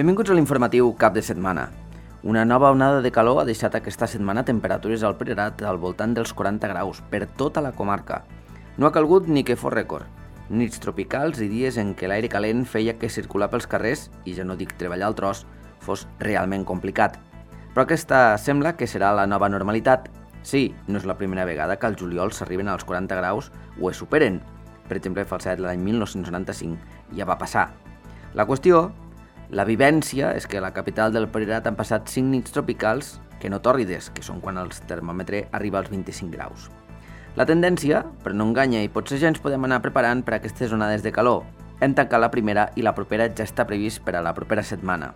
Benvinguts a l'informatiu cap de setmana. Una nova onada de calor ha deixat aquesta setmana temperatures al Priorat al voltant dels 40 graus per tota la comarca. No ha calgut ni que fos rècord. Nits tropicals i dies en què l'aire calent feia que circular pels carrers, i ja no dic treballar al tros, fos realment complicat. Però aquesta sembla que serà la nova normalitat. Sí, no és la primera vegada que al juliol s'arriben als 40 graus o es superen. Per exemple, Falset l'any 1995 ja va passar. La qüestió, la vivència, és que a la capital del Priorat han passat 5 nits tropicals que no tòrrides, que són quan el termòmetre arriba als 25 graus. La tendència, però no enganya, i potser ja ens podem anar preparant per a aquestes onades de calor. Hem tancat la primera i la propera ja està previst per a la propera setmana.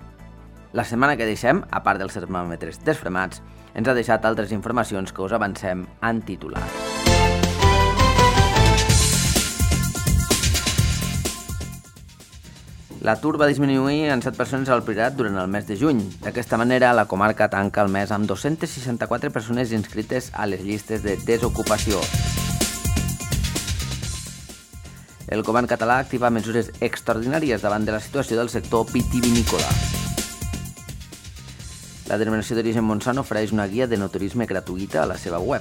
La setmana que deixem, a part dels termòmetres desfremats, ens ha deixat altres informacions que us avancem en titular. L'atur va disminuir en 7 persones al Priorat durant el mes de juny. D'aquesta manera, la comarca tanca el mes amb 264 persones inscrites a les llistes de desocupació. El govern català activa mesures extraordinàries davant de la situació del sector vitivinícola. La Denominació d'Origen Montsant ofereix una guia de no-turisme gratuïta a la seva web.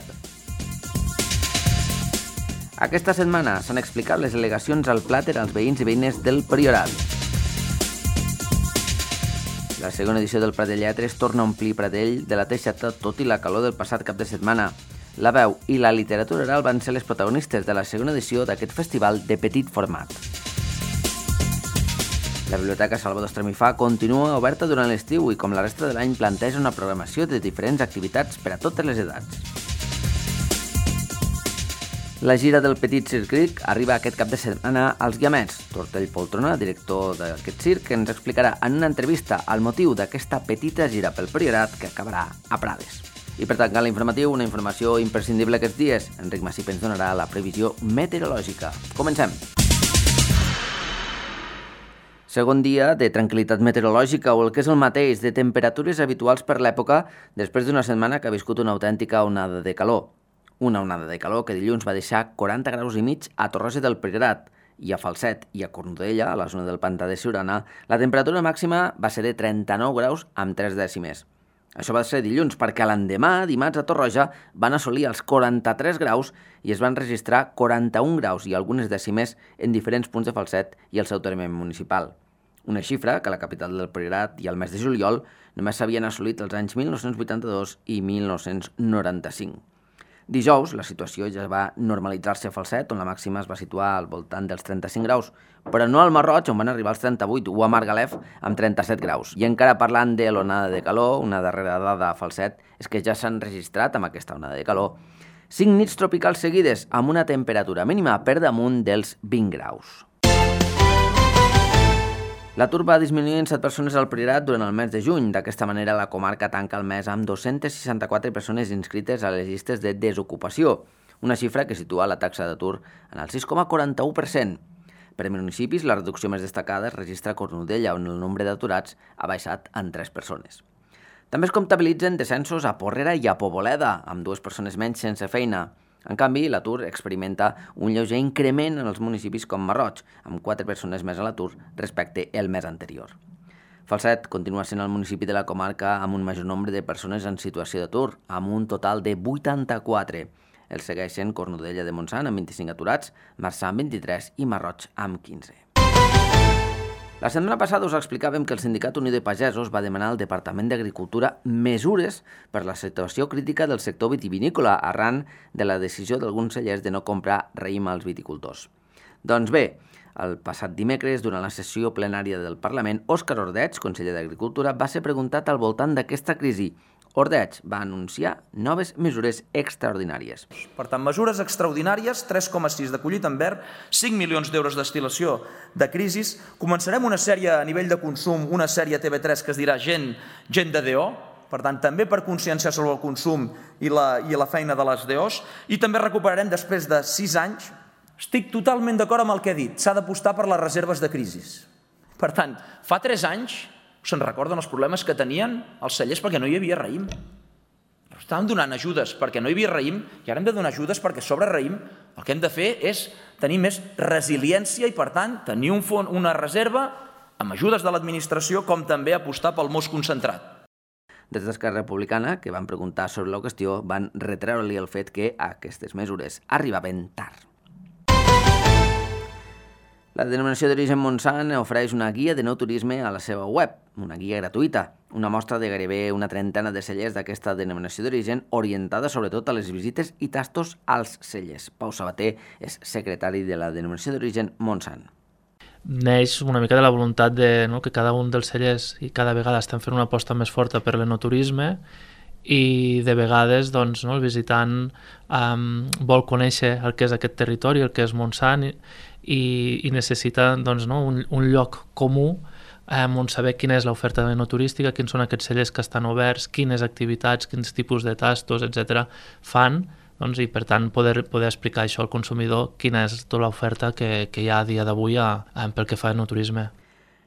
Aquesta setmana s'han explicat les al·legacions al plàter als veïns i veïnes del Priorat. La segona edició del Prat de Lletres torna a omplir Pradell de la Teixeta tot i la calor del passat cap de setmana. La veu i la literatura oral van ser les protagonistes de la segona edició d'aquest festival de petit format. La Biblioteca Salvador Estramifà continua oberta durant l'estiu i, com la resta de l'any, planteja una programació de diferents activitats per a totes les edats. La gira del Petit Circ arriba aquest cap de setmana als Guiamets. Tortell Poltrona, director d'aquest circ, ens explicarà en una entrevista el motiu d'aquesta petita gira pel Priorat que acabarà a Prades. I per tancar l'informatiu, una informació imprescindible aquests dies. Enric Massip ens donarà la previsió meteorològica. Comencem! Segon dia de tranquil·litat meteorològica, o el que és el mateix, de temperatures habituals per l'època, després d'una setmana que ha viscut una autèntica onada de calor. Una onada de calor que dilluns va deixar 40 graus i mig a Torroja del Priorat, i a Falset i a Cornudella, a la zona del Pantà de Siurana, la temperatura màxima va ser de 39 graus amb 3 dècimes. Això va ser dilluns, perquè l'endemà, dimarts, a Torroja, van assolir els 43 graus i es van registrar 41 graus i algunes dècimes en diferents punts de Falset i el seu terme municipal. Una xifra que a la capital del Priorat i al mes de juliol només s'havien assolit els anys 1982 i 1995. Dijous, la situació ja va normalitzar-se a Falset, on la màxima es va situar al voltant dels 35 graus, però no al Marroig, on van arribar als 38, o a Margalef, amb 37 graus. I encara parlant de l'onada de calor, una darrera dada a Falset és que ja s'han registrat amb aquesta onada de calor 5 nits tropicals seguides amb una temperatura mínima per damunt dels 20 graus. L'atur va disminuir en 7 persones al Priorat durant el mes de juny. D'aquesta manera, la comarca tanca el mes amb 264 persones inscrites a les llistes de desocupació, una xifra que situa la taxa d'atur en el 6,41%. Per municipis, la reducció més destacada es registra a Cornudella, on el nombre d'aturats ha baixat en 3 persones. També es comptabilitzen descensos a Porrera i a Poboleda, amb 2 persones menys sense feina. En canvi, l'atur experimenta un lleuger increment en els municipis com Marroig, amb 4 persones més a l'atur respecte al mes anterior. Falset continua sent el municipi de la comarca amb un major nombre de persones en situació d'atur, amb un total de 84. El segueixen Cornudella de Montsant amb 25 aturats, Marçà amb 23 i Marroig amb 15. La setmana passada us explicàvem que el Sindicat Unió de Pagesos va demanar al Departament d'Agricultura mesures per la situació crítica del sector vitivinícola arran de la decisió d'alguns cellers de no comprar raïm als viticultors. Doncs bé, el passat dimecres, durant la sessió plenària del Parlament, Òscar Ordeig, conseller d'Agricultura, va ser preguntat al voltant d'aquesta crisi. Ordeig va anunciar noves mesures extraordinàries. Per tant, mesures extraordinàries, 3,6 de collit en verd, 5 milions d'euros d'estilació de crisis. Començarem una sèrie a nivell de consum, una sèrie a TV3 que es dirà Gent de DO, per tant, també per conscienciar sobre el consum i la feina de les DOs, i també recuperarem després de 6 anys. Estic totalment d'acord amb el que he dit, s'ha d'apostar per les reserves de crisis. Per tant, fa 3 anys se'n recorden els problemes que tenien els cellers perquè no hi havia raïm. Estàvem donant ajudes perquè no hi havia raïm i ara hem de donar ajudes perquè sobre raïm el que hem de fer és tenir més resiliència i, per tant, tenir una reserva amb ajudes de l'administració, com també apostar pel mos concentrat. Des d'Esquerra Republicana, que van preguntar sobre la qüestió, van retreure-li el fet que aquestes mesures arribaven tard. La denominació d'origen Montsant ofereix una guia de nou turisme a la seva web, una guia gratuïta, una mostra de gairebé una trentena de cellers d'aquesta denominació d'origen orientada sobretot a les visites i tastos als cellers. Pau Sabater és secretari de la denominació d'origen Montsant. Neix una mica de la voluntat de, que cada un dels cellers i cada vegada estem fent una aposta més forta per l'enoturisme i de vegades el visitant vol conèixer el que és aquest territori, el que és Montsant i necessita un lloc comú on saber quina és l'oferta enoturística, quins són aquests cellers que estan oberts, quines activitats, quins tipus de tastos, etc. fan, i per tant poder explicar això al consumidor quina és tota l'oferta que hi ha a dia d'avui pel que fa a enoturisme.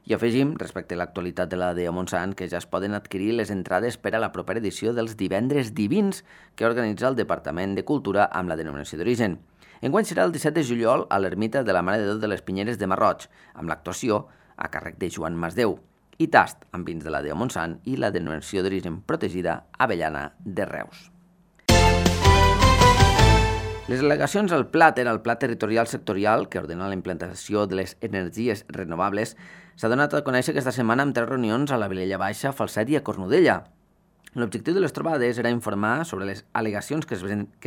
I afegim, respecte a l'actualitat de la DEO Montsant, que ja es poden adquirir les entrades per a la propera edició dels Divendres Divins que organitza el Departament de Cultura amb la denominació d'origen. Enguany serà el 17 de juliol a l'Ermita de la Mare de Déu de les Pinyeres de Marroig, amb l'actuació a càrrec de Joan Masdeu, i tast amb vins de la DEO Montsant i la denominació d'origen protegida Avellana de Reus. Les al·legacions al PLATER, el Pla Territorial Sectorial, que ordena la implantació de les energies renovables, s'ha donat a conèixer aquesta setmana amb 3 reunions a la Vilella Baixa, Falset i a Cornudella. L'objectiu de les trobades era informar sobre les al·legacions que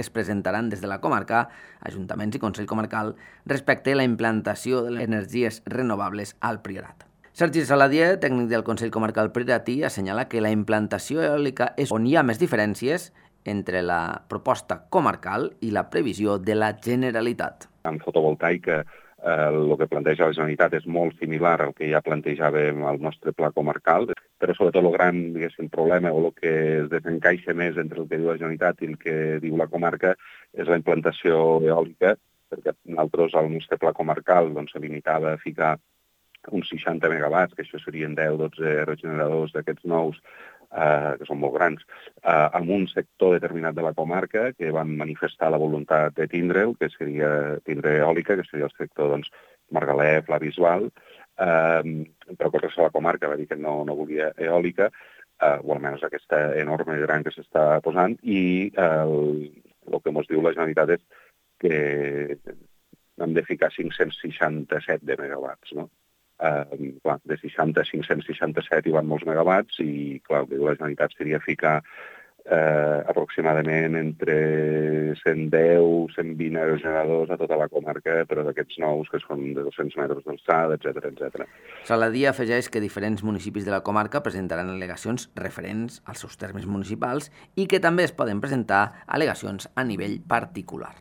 es presentaran des de la comarca, ajuntaments i Consell Comarcal, respecte a la implantació de les energies renovables al Priorat. Sergi Saladier, tècnic del Consell Comarcal Prioratí, assenyala que la implantació eòlica és on hi ha més diferències entre la proposta comarcal i la previsió de la Generalitat. En fotovoltaica, el que planteja la Generalitat és molt similar al que ja plantejàvem al nostre pla comarcal, però sobretot el gran problema o el que es desencaixa més entre el que diu la Generalitat i el que diu la comarca és la implantació eòlica, perquè nosaltres al nostre pla comarcal se limitava a ficar uns 60 megawatts, que això serien 10-12 regeneradors d'aquests nous, que són molt grans, amb un sector determinat de la comarca que van manifestar la voluntat de tindre'l, que seria tindre eòlica, que seria el sector Margalef, la Bisbal, però que la comarca va dir que no volia eòlica, o almenys aquesta enorme gran que s'està posant, i el que ens diu la Generalitat és que hem de ficar 567 de megawatts, no? De 60 a 567 hi van molts megawatts i, clar, el que diu la Generalitat seria ficar aproximadament entre 110 120 aerogeneradors a tota la comarca, però d'aquests nous que són de 200 metres d'alçada, etc. Saladier afegeix que diferents municipis de la comarca presentaran al·legacions referents als seus termes municipals i que també es poden presentar al·legacions a nivell particular.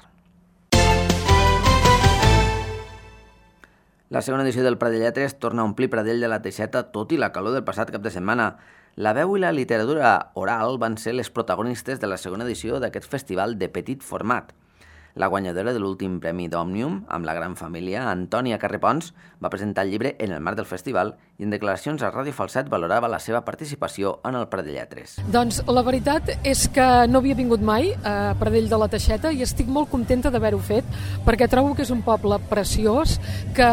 La segona edició del Pradell Lletres torna a omplir Pradell de la Teixeta tot i la calor del passat cap de setmana. La veu i la literatura oral van ser les protagonistes de la segona edició d'aquest festival de petit format. La guanyadora de l'últim premi d'Òmnium, amb la gran família, Antònia Carrepons, va presentar el llibre en el marc del festival i en declaracions a Ràdio Falset valorava la seva participació en el Pradell Lletres. Doncs la veritat és que no havia vingut mai a Pradell de la Teixeta i estic molt contenta d'haver-ho fet perquè trobo que és un poble preciós, que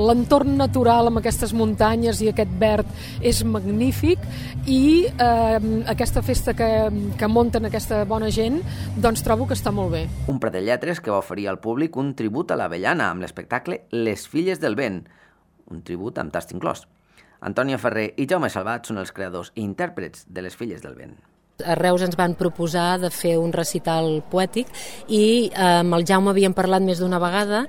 l'entorn natural amb aquestes muntanyes i aquest verd és magnífic i aquesta festa que munten aquesta bona gent, doncs trobo que està molt bé. Un Pradell Lletres que va oferir al públic un tribut a l'Avellana amb l'espectacle Les Filles del Vent, un tribut amb tast inclòs. Antònia Ferrer i Jaume Salvat són els creadors i intèrprets de Les Filles del Vent. A Reus ens van proposar de fer un recital poètic i amb el Jaume havíem parlat més d'una vegada,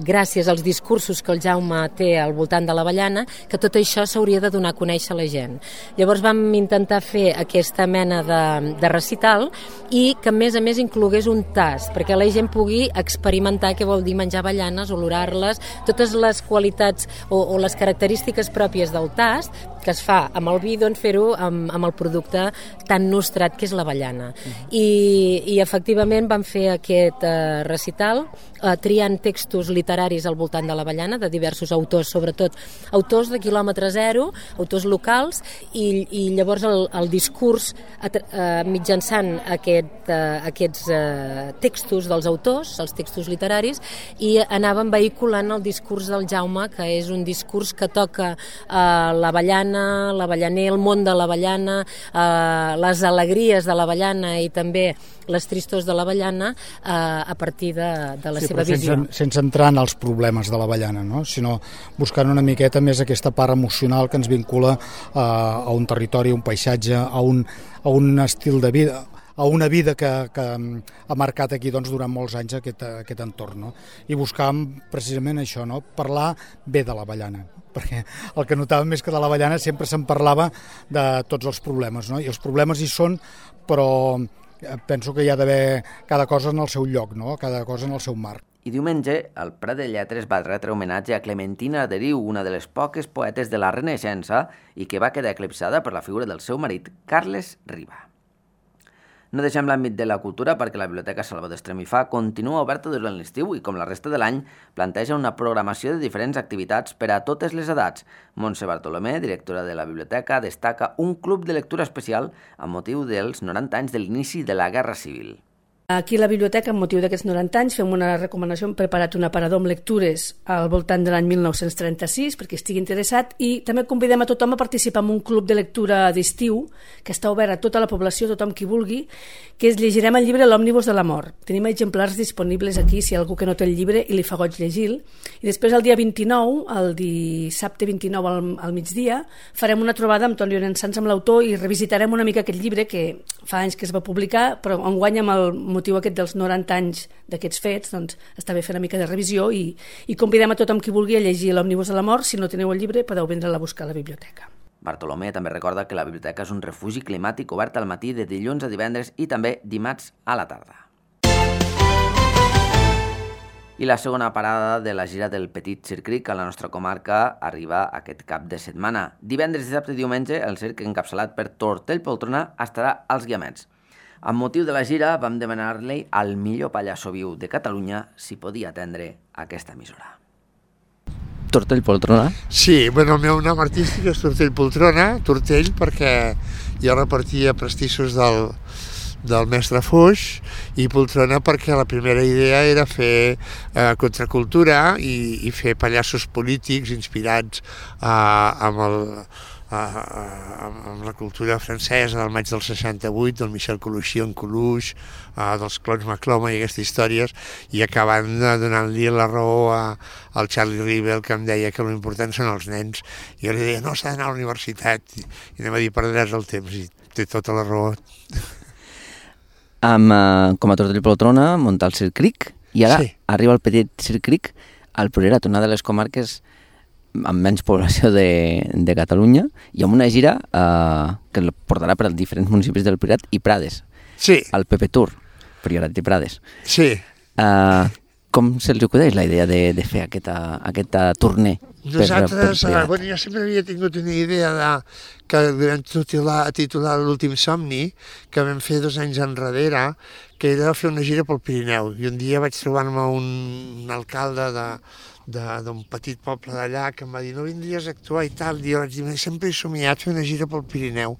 gràcies als discursos que el Jaume té al voltant de l'Avellana, que tot això s'hauria de donar a conèixer a la gent. Llavors vam intentar fer aquesta mena de recital i que a més inclogués un tast, perquè la gent pugui experimentar què vol dir menjar avellanes, olorar-les, totes les qualitats o les característiques pròpies del tast, que es fa amb el vi, doncs fer-ho amb el producte tan nostrat que és l'avellana. I efectivament vam fer aquest recital triant textos literaris al voltant de l'avellana, de diversos autors, sobretot autors de quilòmetre zero, autors locals, i llavors el discurs mitjançant aquests textos dels autors, els textos literaris, i anàvem vehiculant el discurs del Jaume, que és un discurs que toca l'avellana, l'avellaner, el món de l'avellana, les alegries de l'avellana i també les tristors de l'avellana a partir de la seva visió. Sense entrar en els problemes de l'avellana, no? Sinó buscant una miqueta més aquesta part emocional que ens vincula a un territori, a un paisatge, a un estil de vida, a una vida que ha marcat aquí doncs, durant molts anys aquest entorn. No? I buscàvem precisament això, no? Parlar bé de l'avellana, perquè el que notàvem és que de l'avellana sempre se'n parlava de tots els problemes, no? I els problemes hi són, però penso que hi ha d'haver cada cosa en el seu lloc, no? Cada cosa en el seu marc. I diumenge, el Prat de Lletres va retre homenatge a Clementina Arderiu, una de les poques poetes de la Renaixença i que va quedar eclipsada per la figura del seu marit, Carles Riba. No deixem l'àmbit de la cultura perquè la Biblioteca Salvador d'Estremifà continua oberta durant l'estiu i, com la resta de l'any, planteja una programació de diferents activitats per a totes les edats. Montse Bartolomé, directora de la biblioteca, destaca un club de lectura especial amb motiu dels 90 anys de l'inici de la Guerra Civil. Aquí a la biblioteca, amb motiu d'aquests 90 anys, fem una recomanació, hem preparat un aparador amb lectures al voltant de l'any 1936, perquè estigui interessat, i també convidem a tothom a participar en un club de lectura d'estiu, que està obert a tota la població, tothom qui vulgui, que és llegirem el llibre L'òmnibus de la mort. Tenim exemplars disponibles aquí, si hi ha algú que no té el llibre i li fa goig llegir-lo. I després el dia 29, el dissabte 29 al migdia, farem una trobada amb Toni Llorençans, amb l'autor, i revisitarem una mica aquest llibre que fa anys que es va publicar, però enguany amb el motiu aquest dels 90 anys d'aquests fets, doncs està bé fer una mica de revisió i convidem a tothom qui vulgui a llegir L'òmnibus de la mort. Si no teniu el llibre, podeu vindre-la a buscar a la biblioteca. Bartolomé també recorda que la biblioteca és un refugi climàtic obert al matí de dilluns a divendres i també dimarts a la tarda. I la segona parada de la gira del Petit Circ a la nostra comarca arriba aquest cap de setmana. Divendres, dissabte i diumenge, el circ encapçalat per Tortell Poltrona estarà als Guiamets. Amb motiu de la gira vam demanar-li al millor pallasso viu de Catalunya si podia atendre aquesta emissora. Tortell Poltrona? Sí, bueno, el meu nom artístic és Tortell Poltrona, Tortell perquè jo repartia pastissos del mestre Foix, i Poltrona perquè la primera idea era fer contracultura i fer pallassos polítics inspirats amb la cultura francesa del maig del 68, del Michel Coluchy en Coluche, dels clones Macloma i aquestes històries, i acabant donant-li la raó al Charlie Rivel, que em deia que l'important són els nens, i jo li deia, no, s'ha d'anar a la universitat, i anem a dir, perdràs el temps, i té tota la raó. Com a Tortell Poltrona, muntar el Circ, i ara arriba el Petit Circ al Priorat, una de les comarques amb menys població de Catalunya, i amb una gira que el portarà per als diferents municipis del Priorat i Prades. Sí. El PP Tour, Priorat i Prades. Sí. Com se'ls acudeix la idea de fer aquesta tournée? Nosaltres, bueno, jo sempre havia tingut una idea que vam titular L'últim somni, que vam fer 2 anys enrere, que era fer una gira pel Pirineu. I un dia vaig trobar-me un alcalde d'un petit poble d'allà que em va dir, no vindries a actuar i tal, i jo vaig dir, sempre he somiat fer una gira pel Pirineu,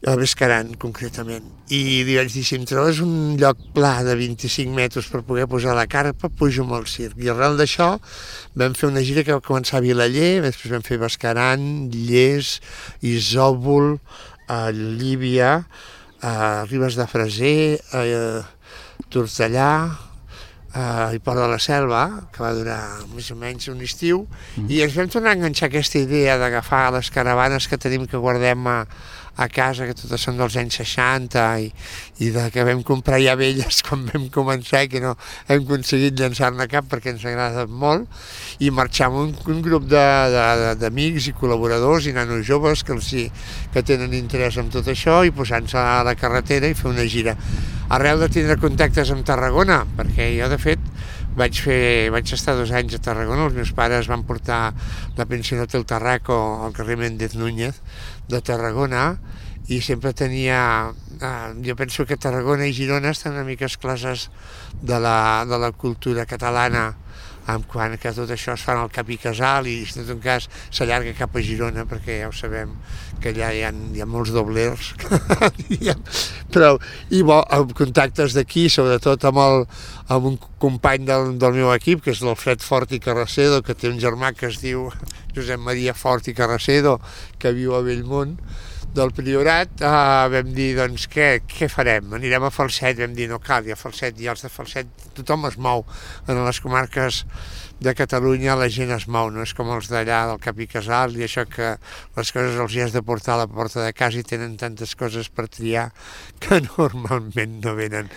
a Bescaran concretament, i li vaig dir, si em trobes un lloc pla de 25 metres per poder posar la carpa, pujo amb el circ, i arrel d'això vam fer una gira que va començar a Vilaller, després vam fer Bescaran, Lles, Isòvol, Llívia, Ribes de Freser, Tortellà, i Port de la Selva, que va durar més o menys un estiu, i ens vam tornar a enganxar aquesta idea d'agafar les caravanes que tenim, que guardem a casa, que totes són dels anys 60 i que vam comprar ja velles quan vam començar i que no hem aconseguit llançar-ne cap perquè ens agrada molt, i marxar amb un grup d'amics i col·laboradors i nanos joves que tenen interès en tot això, i posant-se a la carretera i fer una gira. Arrel de tindre contactes amb Tarragona, perquè jo de fet vaig estar 2 anys a Tarragona. Els meus pares van portar la pensió Hotel Tarraco al carrer Méndez Núñez de Tarragona, i sempre tenia... jo penso que Tarragona i Girona estan una mica excloses de la cultura catalana, en quant que tot això es fa al Cap i Casal, i en tot cas s'allarga cap a Girona, perquè ja ho sabem que allà hi ha molts doblers, però amb contactes d'aquí, sobretot amb un company del meu equip, que és l'Alfred Fort i Carracedo, que té un germà que es diu Josep Maria Fort i Carracedo, que viu a Bellmunt del Priorat. Vam dir, doncs, què farem? Anirem a Falset. Vam dir, no cal, i a Falset, i els de Falset, tothom es mou. En les comarques de Catalunya la gent es mou, no és com els d'allà del Cap i Casal, i això que les coses els hi has de portar a la porta de casa i tenen tantes coses per triar que normalment no venen.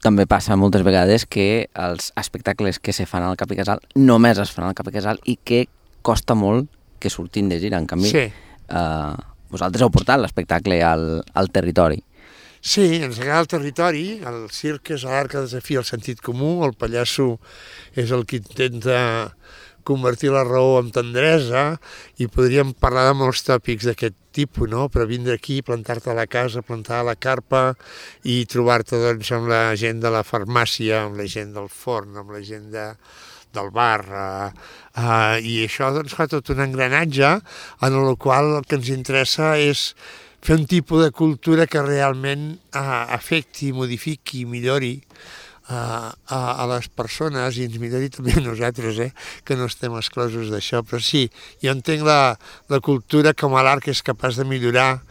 També passa moltes vegades que els espectacles que se fan al Cap i Casal només es fan al Cap i Casal i que costa molt que surtin de gira. En canvi, sí. Vosaltres heu portat l'espectacle al territori. Sí, ens agrada el territori, el circ és l'art que desafia el sentit comú, el pallasso és el que intenta convertir la raó en tendresa, i podríem parlar de molts tòpics d'aquest tipus, no? Però vindre aquí, plantar-te a la casa, plantar a la carpa i trobar-te doncs, amb la gent de la farmàcia, amb la gent del forn, amb la gent del bar, i això doncs, fa tot un engranatge en el qual el que ens interessa és fer un tipus de cultura que realment afecti, modifiqui, millori a les persones, i ens millori també a nosaltres, que no estem exclosos d'això. Però sí, jo entenc la cultura com a l'art que és capaç de millorar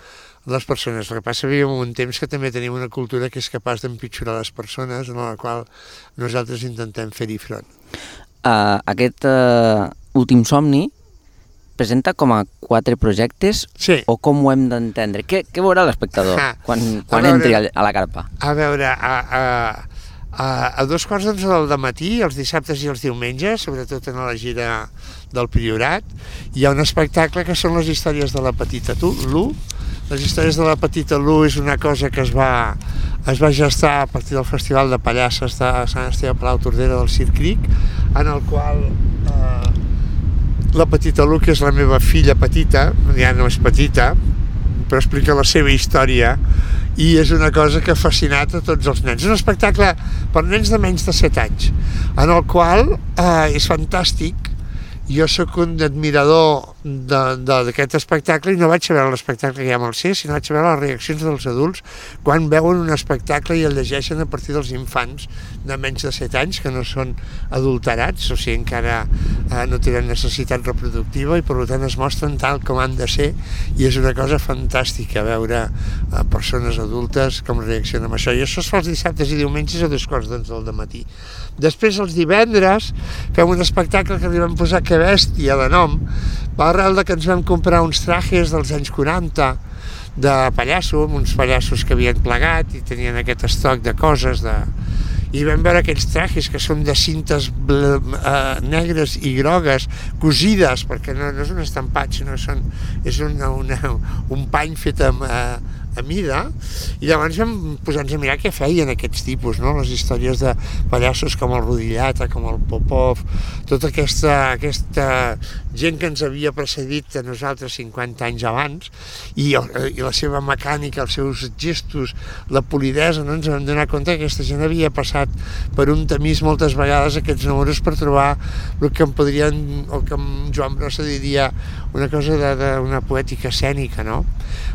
les persones. El que passa que vivim un temps que també tenim una cultura que és capaç d'empitjorar les persones, en la qual nosaltres intentem fer-hi front. Aquest últim somni presenta com a 4 projectes, sí. O com ho hem d'entendre? Què veurà l'espectador quan entri a la carpa? A veure, a 2:15 del matí, els dissabtes i els diumenges, sobretot en la gira del Priorat, hi ha un espectacle que són les històries de la Petita Lu. Les històries de la Petita Lu és una cosa que es va gestar a partir del Festival de Pallasses de Sant Esteve Palau Tordera del Circ Cric, en el qual la Petita Lu, que és la meva filla petita, ja no és petita, però explica la seva història, i és una cosa que ha fascinat a tots els nens. És un espectacle per nens de menys de 7 anys, en el qual és fantàstic. Jo sóc un admirador d'aquest espectacle, i no vaig a veure l'espectacle que hi ha amb el C, sinó vaig a veure les reaccions dels adults quan veuen un espectacle i el llegeixen a partir dels infants de menys de 7 anys, que no són adulterats, o sigui, encara no tenen necessitat reproductiva, i per tant es mostren tal com han de ser, i és una cosa fantàstica veure persones adultes com reaccionen amb això. I això es fa els dissabtes i diumenges a 2:15 del matí. Després, els divendres, fem un espectacle que li vam posar Que bèstia de nom, per arrel que ens vam comprar uns trajes dels anys 40 de pallasso, amb uns pallassos que havien plegat i tenien aquest estoc de coses, i vam veure aquells trajes que són de cintes negres i grogues, cosides, perquè no és un estampat, sinó és un pany fet a mida, i llavors vam posar-nos a mirar què feien aquests tipus, no? Les històries de pallassos com el Rodillata, com el Popov, tota aquesta gent que ens havia precedit a nosaltres 50 anys abans, i la seva mecànica, els seus gestos, la polidesa, no? Ens vam donar compte que aquesta gent havia passat per un tamís moltes vegades aquests números per trobar el que en Joan Brossa diria una cosa d'una poètica escènica, no?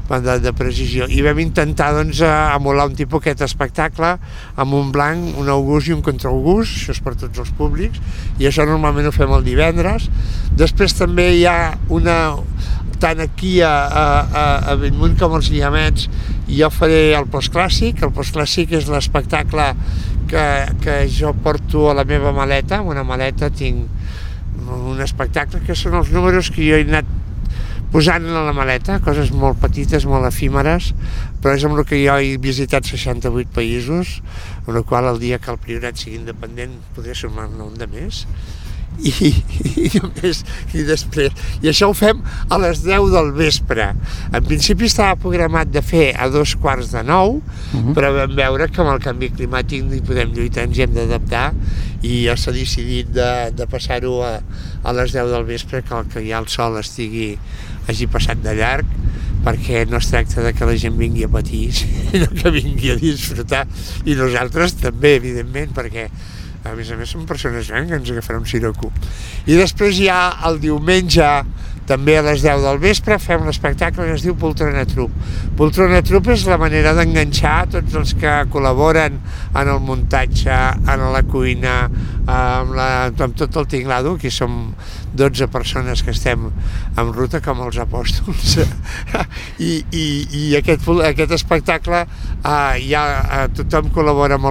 De precisió. I vam intentar doncs emular un tipus aquest espectacle amb un blanc, un august i un contraaugust, això és per tots els públics, i això normalment ho fem el divendres. Després també hi ha tant aquí a Bellmunt com als Guiamets, jo faré el postclàssic. El postclàssic és l'espectacle que jo porto a la meva maleta. En una maleta tinc un espectacle que són els números que jo he anat posant a la maleta, coses molt petites, molt efímeres, però és amb el que jo he visitat 68 països, amb el qual el dia que el Priorat sigui independent podré sumar-ne un de més, i després. I això ho fem a les 10 del vespre. En principi estava programat de fer a 2:15, però vam veure que amb el canvi climàtic no hi podem lluitar, ens hi hem d'adaptar, i ja s'ha decidit de passar-ho a les 10 del vespre, que ja el sol hagi passat de llarg, perquè no es tracta de que la gent vingui a patir, sinó que vingui a disfrutar, i nosaltres també, evidentment, perquè a més som persones grans que ens agafarà un siroco. I després ja el diumenge, també a les 10 del vespre, fem l'espectacle que es diu Poltrona Trup. Poltrona Trup és la manera d'enganxar tots els que col·laboren en el muntatge, en la cuina, amb tot el tinglado, que som 12 persones que estem en ruta com els apòstols. I aquest espectacle tothom col·labora amb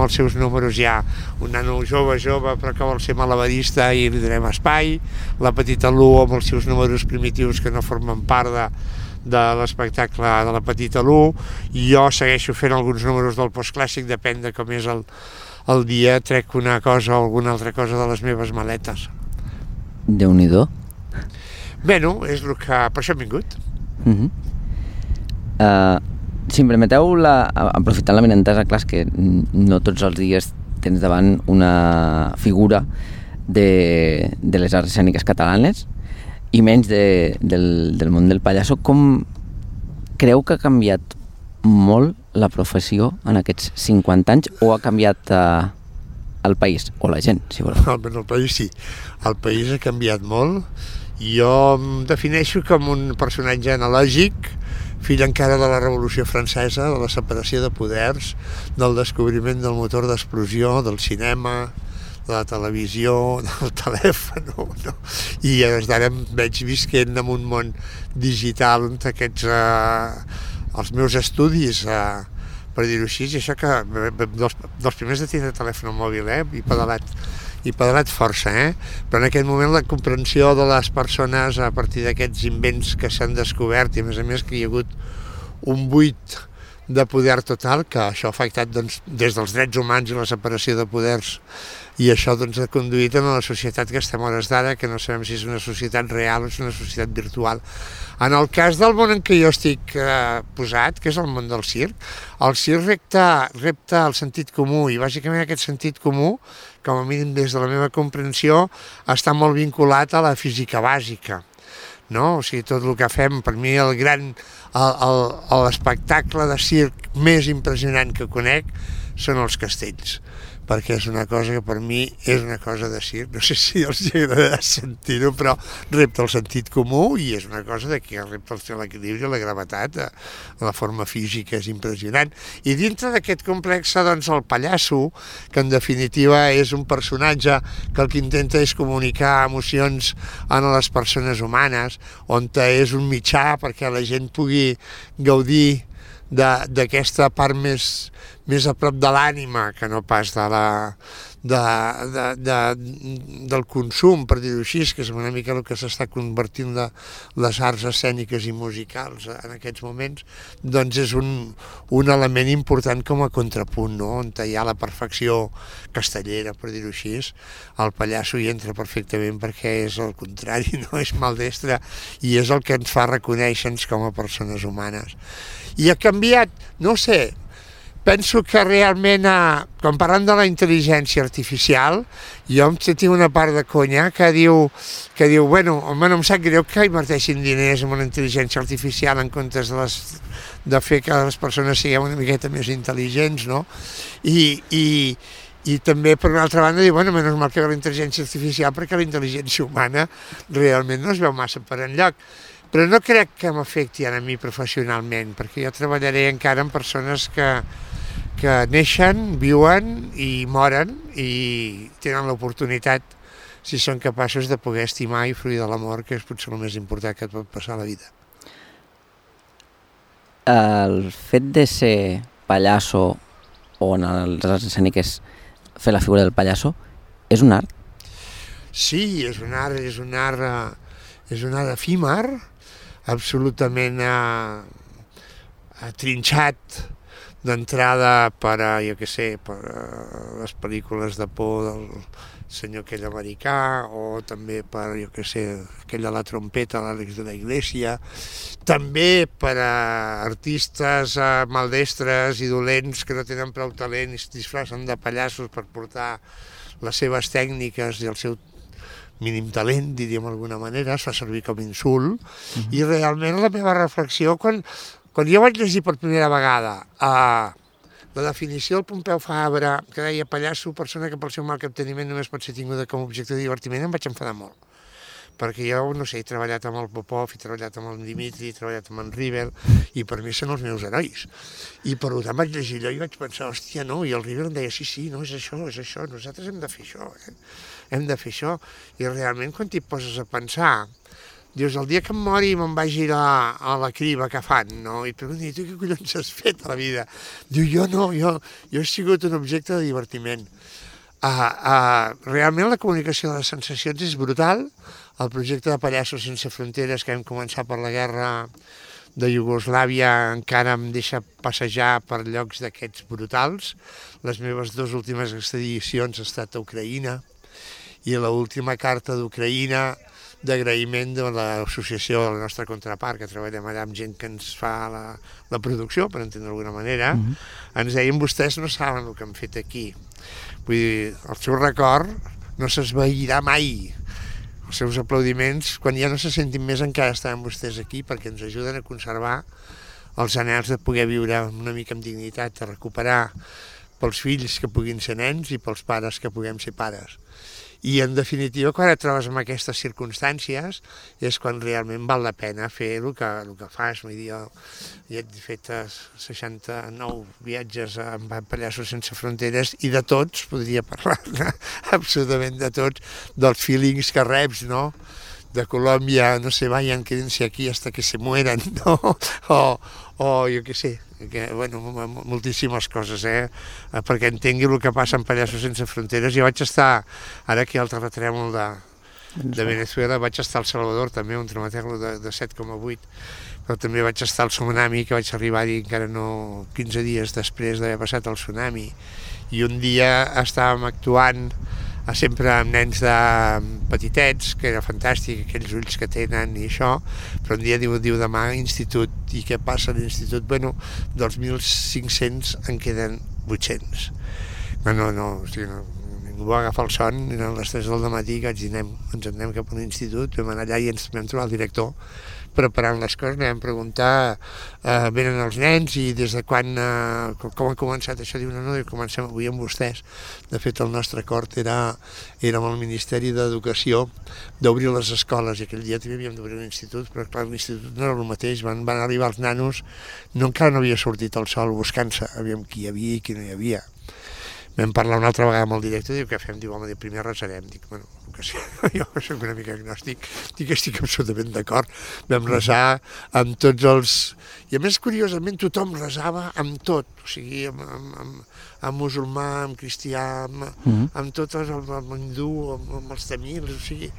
els seus números. Hi ha un nano jove però que vol ser malabarista i li donem espai, la petita Lu amb els seus números primitius que no formen part de l'espectacle de la petita Lu, i jo segueixo fent alguns números del postclàssic, depèn de com és el dia, trec una cosa o alguna altra cosa de les meves maletes. Déu-n'hi-do. Bueno, és el que... per això hem vingut. Si em permeteu, aprofitant la benentesa, clar, és que no tots els dies tens davant una figura de les arts escèniques catalanes i menys del món del pallasso. Com creu que ha canviat molt la professió en aquests 50 anys, o ha canviat el país, o la gent, si voleu? El país sí, el país ha canviat molt. Jo em defineixo com un personatge analògic, fill encara de la Revolució Francesa, de la separació de poders, del descobriment del motor d'explosió, del cinema, de la televisió, del telèfon, no? I des d'ara em veig visquent en un món digital on els meus estudis, per dir-ho així, i això que dels primers de tindre telèfon mòbil, i pedalat força, però en aquest moment la comprensió de les persones a partir d'aquests invents que s'han descobert, i a més que hi ha hagut un buit de poder total, que això ha afectat des dels drets humans i la separació de poders, i això ha conduït a la societat que estem a hores d'ara, que no sabem si és una societat real o és una societat virtual. En el cas del món en què jo estic posat, que és el món del circ, el circ repta el sentit comú, i bàsicament aquest sentit comú, com a mínim des de la meva comprensió, està molt vinculat a la física bàsica. No? O sigui, tot el que fem, per mi l'espectacle de circ més impressionant que conec són els castells, perquè és una cosa que per mi és una cosa de circ. No sé si els agrada sentir-ho, però repta el sentit comú i és una cosa que repta l'equilibri, la gravetat, la forma física és impressionant. I dintre d'aquest complex, doncs, el pallasso, que en definitiva és un personatge que el que intenta és comunicar emocions a les persones humanes, on és un mitjà perquè la gent pugui gaudir d'aquesta part més a prop de l'ànima que no pas del consum, per dir-ho així, que és una mica el que s'està convertint les arts escèniques i musicals en aquests moments, doncs és un element important com a contrapunt, no? On hi ha la perfecció castellera, per dir-ho així. El pallasso hi entra perfectament perquè és el contrari, no? És maldestre i és el que ens fa reconèixer-nos com a persones humanes. I ha canviat, no sé, penso que realment, quan parlant de la intel·ligència artificial, jo em tinc una part de conya que diu, bueno, home, no em sap greu que inverteixin diners en una intel·ligència artificial en comptes de fer que les persones siguem una miqueta més intel·ligents, no? I també, per una altra banda, diu, bueno, menys mal que ve la intel·ligència artificial perquè la intel·ligència humana realment no es veu massa per enlloc. Però no crec que m'afecti a mi professionalment, perquè jo treballaré encara amb persones que neixen, viuen i moren i tenen l'oportunitat, si són capaços de poder estimar i fruir de l'amor, que és potser el més important que et pot passar a la vida. El fet de ser pallasso o en les arts escèniques fer la figura del pallasso és un art? Sí, és un art efímer, absolutament trinxat d'entrada per a, jo què sé, per a les pel·lícules de por del senyor aquell americà, o també per, jo què sé, aquell de la trompeta, l'Àlex de la Iglesia, també per a artistes maldestres i dolents que no tenen prou talent i es disfracen de pallassos per portar les seves tècniques i el seu mínim talent, diríem d'alguna manera, es fa servir com insult, i realment la meva reflexió, quan jo vaig llegir per primera vegada la definició del Pompeu Fabra, que deia pallasso, persona que pel seu mal capteniment només pot ser tinguda com a objecte de divertiment, em vaig enfadar molt. Perquè jo, no sé, he treballat amb el Popov, he treballat amb el Dimitri, he treballat amb en Rivel, i per mi són els meus herois. I per tant vaig llegir allò i vaig pensar, hòstia, no, i el Rivel em deia, sí, no, és això, nosaltres hem de fer això, hem de fer això. I realment, quan t'hi poses a pensar, dius, el dia que em mori me'n vagi a la criba que fan, no? I et pregunto, tu què collons has fet a la vida? Diu, jo he sigut un objecte de divertiment. Realment la comunicació de les sensacions és brutal. El projecte de Pallassos Sense Fronteres, que vam començar per la guerra de Iugoslàvia, encara em deixa passejar per llocs d'aquests brutals. Les meves 2 últimes expedicions han estat a Ucraïna, i l'última carta d'Ucraïna d'agraïment de l'associació de la nostra contrapart, que treballem allà amb gent que ens fa la producció, per entendre d'alguna manera, ens deien, vostès no saben el que han fet aquí. Vull dir, el seu record no s'esvairà mai. Els seus aplaudiments, quan ja no se sentin més, encara estaran vostès aquí, perquè ens ajuden a conservar els anhels de poder viure una mica amb dignitat, de recuperar pels fills que puguin ser nens i pels pares que puguem ser pares. I, en definitiva, quan et trobes en aquestes circumstàncies és quan realment val la pena fer el que fas. Vull dir, jo he fet 69 viatges amb Pallassos Sense Fronteres i de tots, podria parlar absolutament de tots, dels feelings que reps, no? De Colòmbia, no sé, vayan, quédense aquí hasta que se mueran, no? O jo què sé, bueno, moltíssimes coses, perquè entengui el que passa en Pallassos Sense Fronteres. Jo vaig estar, ara aquí al terratrèmol de Venezuela, vaig estar al Salvador també, un traumatècol de 7,8, però també vaig estar al tsunami, que vaig arribar-hi encara no 15 dies després d'haver passat el tsunami, i un dia estàvem actuant sempre amb nens petitets, que era fantàstic, aquells ulls que tenen i això, però un dia diu demà institut, i què passa a l'institut? Bueno, dels 1.500 en queden 800. No, o sigui, ningú va agafar el son, eren les 3 del matí que vaig dir, ens anem cap a un institut, vam anar allà i ens vam trobar el director preparant les coses, vam preguntar, venen els nens i des de quan, com ha començat això? Diu, no, comencem avui amb vostès. De fet, el nostre acord era amb el Ministeri d'Educació d'obrir les escoles, i aquell dia també havíem d'obrir un institut, però clar, l'institut no era el mateix, van arribar els nanos, encara no havia sortit el sol buscant-se, aviam qui hi havia i qui no hi havia. Vam parlar una altra vegada amb el director, diu, què fem? Diu, home, primer resarem. Dic, bueno, que sí, jo soc una mica agnòstic, dic que estic absolutament d'acord. Vam resar amb tots els... I a més, curiosament, tothom resava amb tot, o sigui, amb musulmà, amb cristià, amb tot el hindú, amb els tamils, o sigui...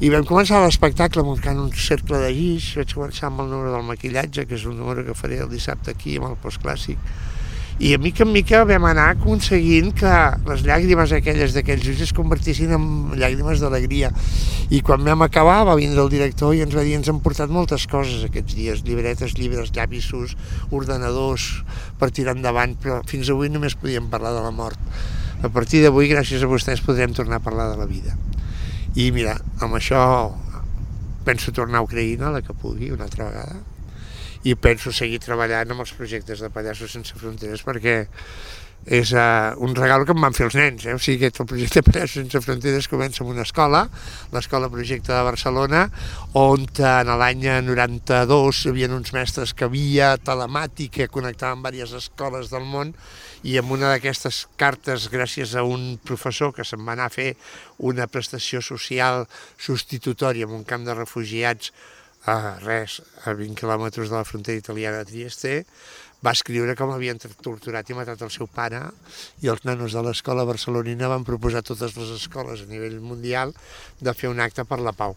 I vam començar l'espectacle muntant un cercle de guix, vaig començar amb el número del maquillatge, que és un número que faré el dissabte aquí, amb el postclàssic, i a mica en mica vam anar aconseguint que les llàgrimes aquelles d'aquells ulls es convertissin en llàgrimes d'alegria. I quan vam acabar va vindre el director i ens va dir, ens han portat moltes coses aquests dies, llibretes, llibres, llapisos, ordenadors per tirar endavant, però fins avui només podíem parlar de la mort. A partir d'avui, gràcies a vostès, podrem tornar a parlar de la vida. I mira, amb això penso tornar a Ucraïna, la que pugui, una altra vegada, i penso seguir treballant amb els projectes de Pallassos Sense Fronteres, perquè és un regal que em van fer els nens, o sigui que el projecte Pallassos Sense Fronteres comença en una escola, l'Escola Projecte de Barcelona, on en l'any 92 hi havia uns mestres que via telemàtica connectaven diverses escoles del món, i amb una d'aquestes cartes, gràcies a un professor que se'n va anar a fer una prestació social substitutòria en un camp de refugiats a 20 quilòmetres de la frontera italiana de Trieste, va escriure com havien torturat i matat el seu pare, i els nanos de l'escola barcelonina van proposar a totes les escoles a nivell mundial de fer un acte per la pau.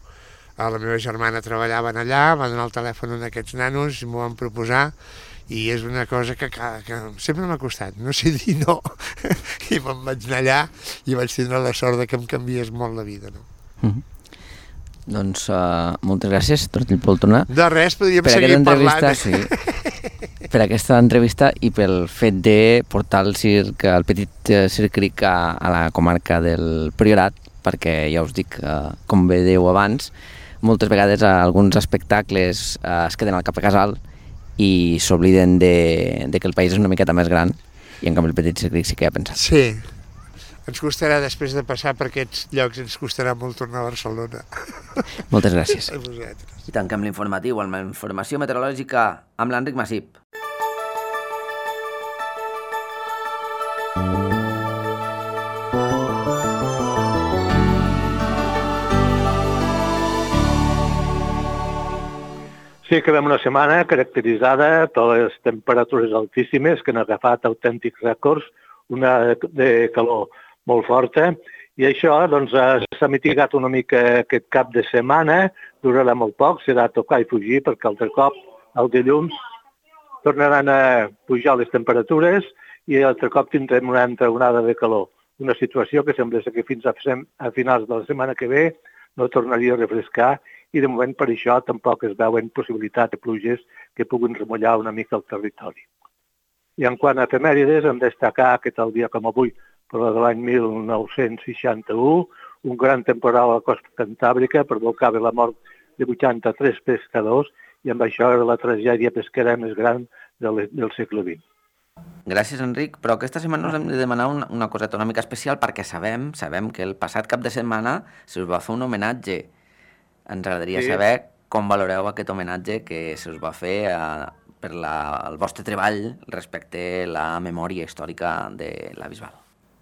La meva germana treballava allà, va donar el telèfon a aquests nanos i m'ho van proposar, i és una cosa que sempre m'ha costat, no sé dir no. I me'n vaig anar allà i vaig tindre la sort de que em canviés molt la vida, no? Doncs moltes gràcies, Tortell Poltrona. De res, podríem seguir parlant. Sí, per aquesta entrevista i pel fet de portar el circ, el petit Circ Cric a la comarca del Priorat, perquè ja us dic, com bé dèieu abans, moltes vegades alguns espectacles es queden al cap a casal i s'obliden de que el país és una miqueta més gran, i en canvi el petit Circ Cric sí que ha pensat. Sí, ens costarà, després de passar per aquests llocs, ens costarà molt tornar a Barcelona. Moltes gràcies. A vosaltres. I tanquem l'informatiu amb la informació meteorològica amb l'Enric Massip. Sí, acabem una setmana caracteritzada per les temperatures altíssimes que han agafat autèntics rècords, una de calor molt forta, i això doncs, s'ha mitigat una mica aquest cap de setmana, durarà molt poc, serà tocar i fugir, perquè altre cop, el dilluns, tornaran a pujar les temperatures i altre cop tindrem una altra onada de calor. Una situació que sembla que fins a finals de la setmana que ve no tornaria a refrescar, i de moment per això tampoc es veuen possibilitats de pluges que puguin remullar una mica el territori. I en quant a efemèrides, hem de destacar que tal dia com avui, però de l'any 1961, un gran temporal a la costa cantàbrica provocava la mort de 83 pescadors i amb això era la tragèdia pesquera més gran del segle XX. Gràcies, Enric, però aquesta setmana us hem de demanar una coseta una mica especial perquè sabem que el passat cap de setmana se us va fer un homenatge. Ens agradaria saber com valoreu aquest homenatge que se us va fer per el vostre treball respecte a la memòria històrica de la Bisbal.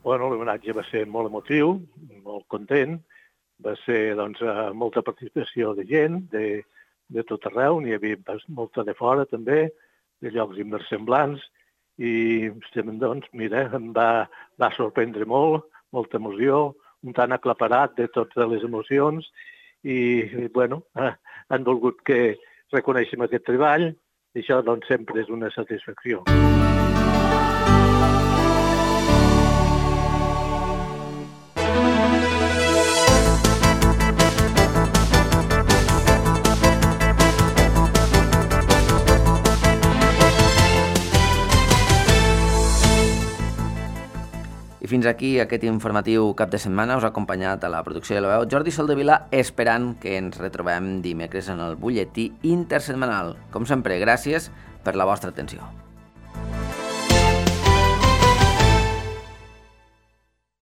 Bueno, l'homenatge va ser molt emotiu, molt content, va ser doncs, molta participació de gent de tot arreu, n'hi havia molta de fora també, de llocs inversemblants, i doncs, mira, em va sorprendre molt, molta emoció, un tant aclaparat de totes les emocions, i bueno, han volgut que reconeixem aquest treball, i això doncs sempre és una satisfacció. I fins aquí aquest informatiu cap de setmana. Us ha acompanyat a la producció de la veu Jordi Soldevila, esperant que ens retrobem dimecres en el butlletí intersetmanal. Com sempre, gràcies per la vostra atenció.